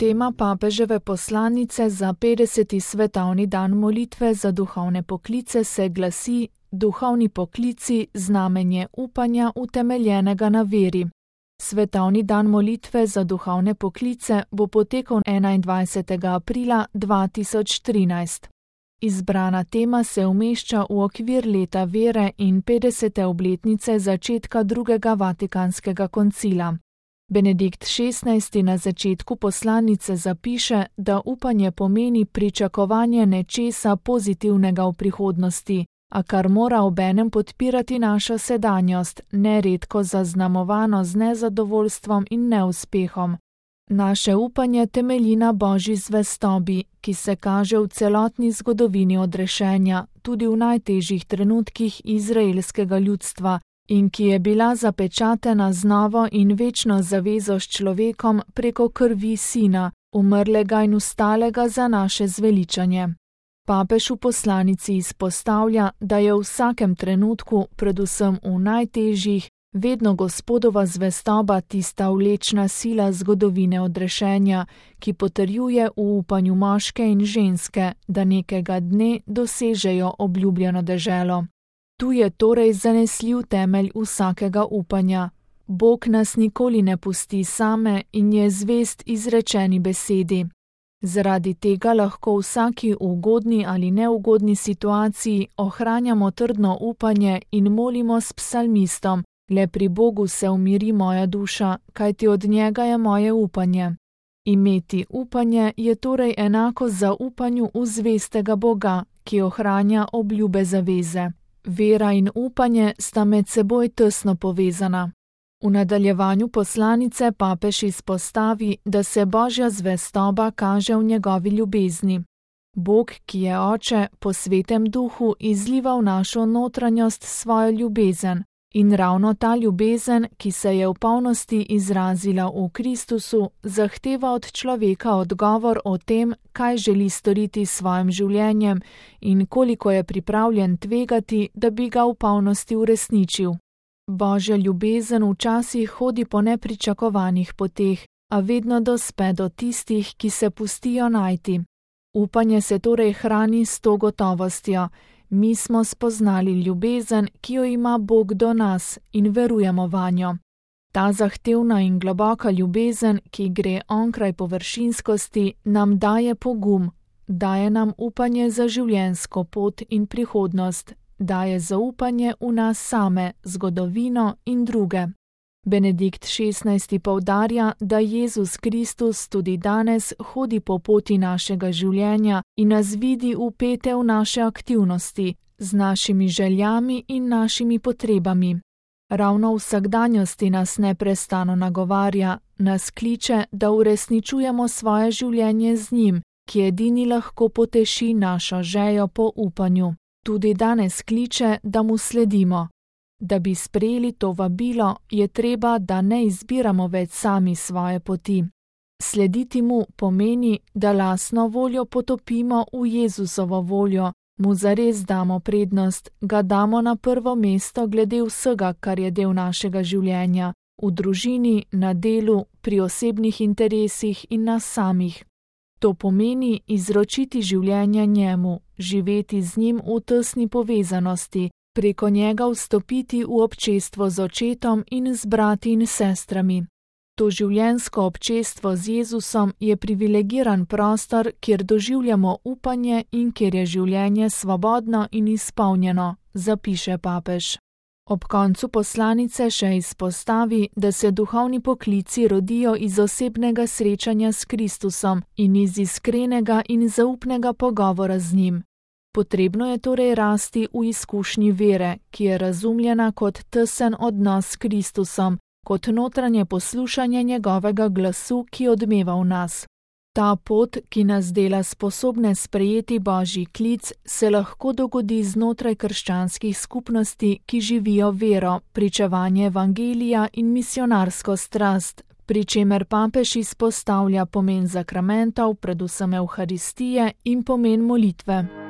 Tema papeževe poslanice za 50. svetovni dan molitve za duhovne poklice se glasi: Duhovni poklici, znamenje upanja utemeljenega na veri. Svetovni dan molitve za duhovne poklice bo potekal 21. aprila 2013. Izbrana tema se umešča v okvir leta vere in 50. obletnice začetka drugega Vatikanskega koncila. Benedikt XVI. Na začetku poslanice zapiše, da upanje pomeni pričakovanje nečesa pozitivnega v prihodnosti, a kar mora obenem podpirati našo sedanjost, neredko zaznamovano z nezadovoljstvom in neuspehom. Naše upanje temelji na Božji zvestobi, ki se kaže v celotni zgodovini odrešenja, tudi v najtežjih trenutkih izraelskega ljudstva, in ki je bila zapečatena z novo in večno zavezo s človekom preko krvi Sina, umrlega in vstalega za naše zveličanje. Papež v poslanici izpostavlja, da je v vsakem trenutku, predvsem v najtežjih, vedno Gospodova zvestoba tista vlečna sila zgodovine odrešenja, ki potrjuje v upanju moške in ženske, da nekega dne dosežejo obljubljeno deželo. Tu je torej zanesljiv temelj vsakega upanja. Bog nas nikoli ne pusti same in je zvest izrečeni besedi. Zaradi tega lahko v vsaki ugodni ali neugodni situaciji ohranjamo trdno upanje in molimo s psalmistom: Le pri Bogu se umiri moja duša, kajti od njega je moje upanje. Imeti upanje je torej enako zaupanju v zvestega Boga, ki ohranja obljube zaveze. Vera in upanje sta med seboj tesno povezana. V nadaljevanju poslanice papež izpostavi, da se Božja zvestoba kaže v njegovi ljubezni. Bog, ki je Oče, po Svetem Duhu izliva v našo notranjost svojo ljubezen, in ravno ta ljubezen, ki se je v polnosti izrazila v Kristusu, zahteva od človeka odgovor o tem, kaj želi storiti s svojim življenjem in koliko je pripravljen tvegati, da bi ga v polnosti uresničil. Božja ljubezen včasih hodi po nepričakovanih poteh, a vedno dospe do tistih, ki se pustijo najti. Upanje se torej hrani s to gotovostjo: mi smo spoznali ljubezen, ki jo ima Bog do nas, in verujemo vanjo. Ta zahtevna in globoka ljubezen, ki gre onkraj površinskosti, nam daje pogum, daje nam upanje za življenjsko pot in prihodnost, daje zaupanje v nas same, zgodovino in druge. Benedikt XVI. Poudarja, da Jezus Kristus tudi danes hodi po poti našega življenja in nas vidi vpete v naše aktivnosti, z našimi željami in našimi potrebami. Ravno v vsakdanjosti nas neprestano nagovarja, nas kliče, da uresničujemo svoje življenje z njim, ki edini lahko poteši našo željo po upanju. Tudi danes kliče, da mu sledimo. Da bi sprejeli to vabilo, je treba, da ne izbiramo več sami svoje poti. Slediti mu pomeni, da lastno voljo potopimo v Jezusovo voljo, mu zares damo prednost, ga damo na prvo mesto glede vsega, kar je del našega življenja, v družini, na delu, pri osebnih interesih in nas samih. To pomeni izročiti življenje njemu, živeti z njim v tesni povezanosti, preko njega vstopiti v občestvo z očetom in z brati in sestrami. To življenjsko občestvo z Jezusom je privilegiran prostor, kjer doživljamo upanje in kjer je življenje svobodno in izpolnjeno, zapiše papež. Ob koncu poslanice še izpostavi, da se duhovni poklici rodijo iz osebnega srečanja s Kristusom in iz iskrenega in zaupnega pogovora z njim. Potrebno je torej rasti v izkušnji vere, ki je razumljena kot tesen odnos s Kristusom, kot notranje poslušanje njegovega glasu, ki odmeva v nas. Ta pot, ki nas dela sposobne sprejeti Božji klic, se lahko dogodi znotraj krščanskih skupnosti, ki živijo vero, pričevanje evangelija in misionarsko strast, pri čemer papež izpostavlja pomen zakramentov, predvsem evharistije, in pomen molitve.